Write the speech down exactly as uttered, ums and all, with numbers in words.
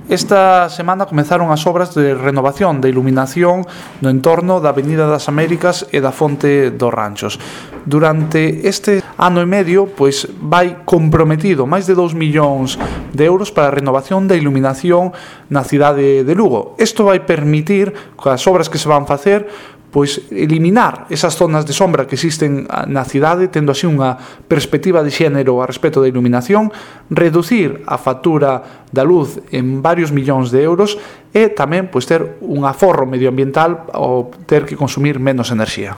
Esta semana comezaron as obras de renovación de iluminación no entorno da Avenida das Américas e da Fonte dos Ranchos. Durante este ano e medio, pois vai comprometido máis de dous millóns de euros para a renovación da iluminación na cidade de Lugo. Isto vai permitir, coas obras que se van facer, pois eliminar esas zonas de sombra que existen na cidade, tendo así unha perspectiva de xénero a respecto da iluminación, reducir a factura da luz en varios millóns de euros e tamén pois ter un aforro medioambiental ao ter que consumir menos enerxía.